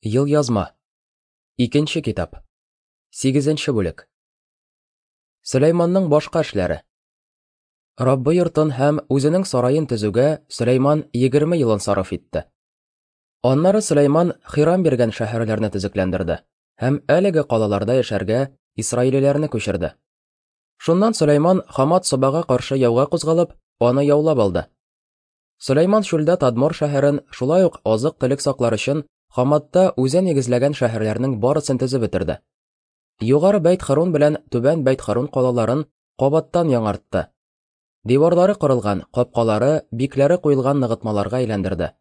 Елъязма. Икенче китап. Сигезенче бүлек. Сөләйманның башка эшләре. Раббы йортын һәм үзенең сараен төзүгә Сөләйман 20 елын сарыф итте. Аннары Сөләйман Хирам биргән шәһәрләрне төзекләндерде һәм әлеге калаларда яшәргә исраилиләрне күчерде. Шуннан Сөләйман Хамат Собага каршы яуга кузгалып, аны яулап алды. Сөләйман чүлдә Тадмор шәһәрен, шулай ук азык-төлек саклар өчен Хаматта үзе нигезләгән шәһәрләрнең барысын төзеп бетерде. Югары Бәйт-Хөрун белән Түбән Бәйт-Хөрун калаларын кабаттан яңартты. Диварлары корылган, капкалары, бикләре куелган ныгытмаларга әйләндерде.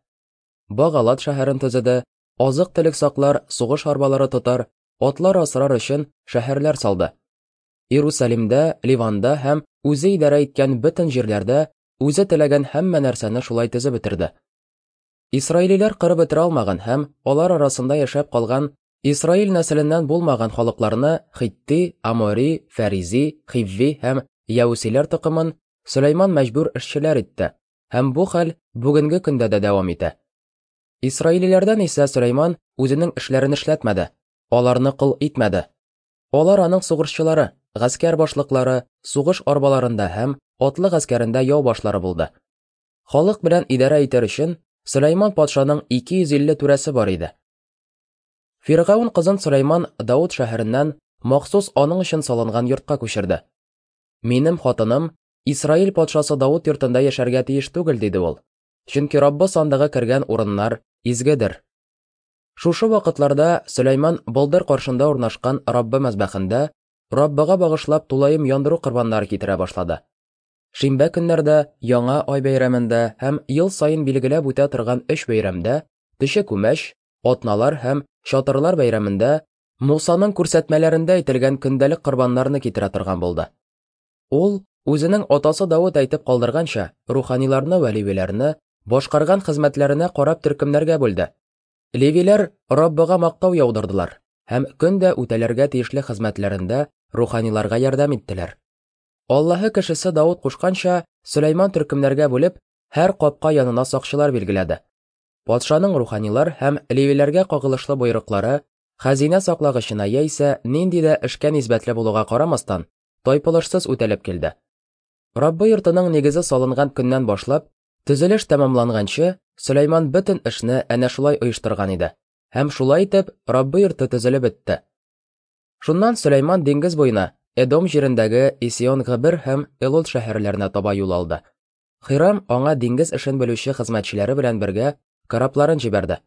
Багалат шәһәрен төзеде, азык-төлек саклар, сугыш арбалары тотар, атлар асрар өчен шәһәрләр салды. Иерусалимдә, Ливанда һәм үзе идарә иткән бөтен җирләрдә үзе теләгән һәммә нәрсәне шулай төзеп бетерде. Исраилиләр кырып бетерә алмаган һәм алар арасында яшәп калган Исраил нәселеннән булмаган халыкларны Хитти, Амори, Фәризи, Хивви һәм Яүсиләр токымын Сөләйман мәҗбүр эшчеләр итте, һәм бу хәл бүгенге көндә дә дәвам итә. Исраилиләрдән исә Сөләйман үзенең эшләрен эшләтмәде, аларны кол итмәде. Алар аның сугышчылары, гаскәр башлыклары, сугыш арбаларында һәм атлы гаскәрендә яу башлары булды. Халык белән идарә итәр өчен Сөләйман патшаның 250 түрәсе бар иде. Фиргаун кызын Сөләйман Дауд шәһәреннән махсус аның өчен салынган йортка күчерде. Минем хатыным Исраил патшасы Дауд йортында яшәргә тиеш түгел, диде ул. Чөнки Раббы сандыгы кергән урыннар изгедер. Шушы вакытларда Сөләйман болдыр каршында урнашкан Раббы мәзбәхендә Раббыга багышлап тулаем яндыру корбаннары китерә башлады. Шимбә көннәрдә, Яңа ай бәйрәмендә һәм ел саен билгеләп үтә торган өч бәйрәмдә, Төче күмәч, Атналар һәм Чатырлар бәйрәмендә Мусаның күрсәтмәләрендә әйтелгән көндәлек корбаннарны китерә торган булды. Ул, үзенең атасы Давыт әйтеп калдырганча, руханиларны вә левиләрне башкарган хезмәтләренә карап төркемнәргә бүлде. Левиләр Раббыга мактау яудырдылар һәм көн дә үтәләргә тиешле хезмәтләрендә руханиларга ярдәм иттеләр. Аллаһы кешесе Давыт кушканча, Сөләйман төркемнәргә бүлеп, һәр капка янына сакчылар билгеләде. Патшаның руханилар һәм левиләргә кагылышлы боерыклары хәзинә саклагычына яисә нинди дә эшкә нисбәтле булуга карамастан, тайпылышсыз үтәлеп килде. Раббы йортының нигезе салынган көннән башлап, Төзелеш тәмамланганчы, Сөләйман бөтен эшне әнә шулай оештырган иде. Һәм шулай итеп, Раббы йорты төзелеп бетте. Шуннан Сөләйман диңгез буена, Эдом җирендәге Исион-Габер һәм Элот шәһәрләренә таба юл алды. Хирам аңа диңгез эшен белүче хезмәтчеләре белән бергә корабларын җибәрде.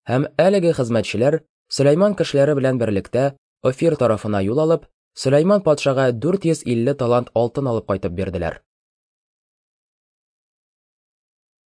Һәм әлеге хезмәтчеләр Сөләйман кешеләре белән берлектә Офир тарафына юл алып, Сөләйман патшага 450 талант алтын алып кайтып бирделәр.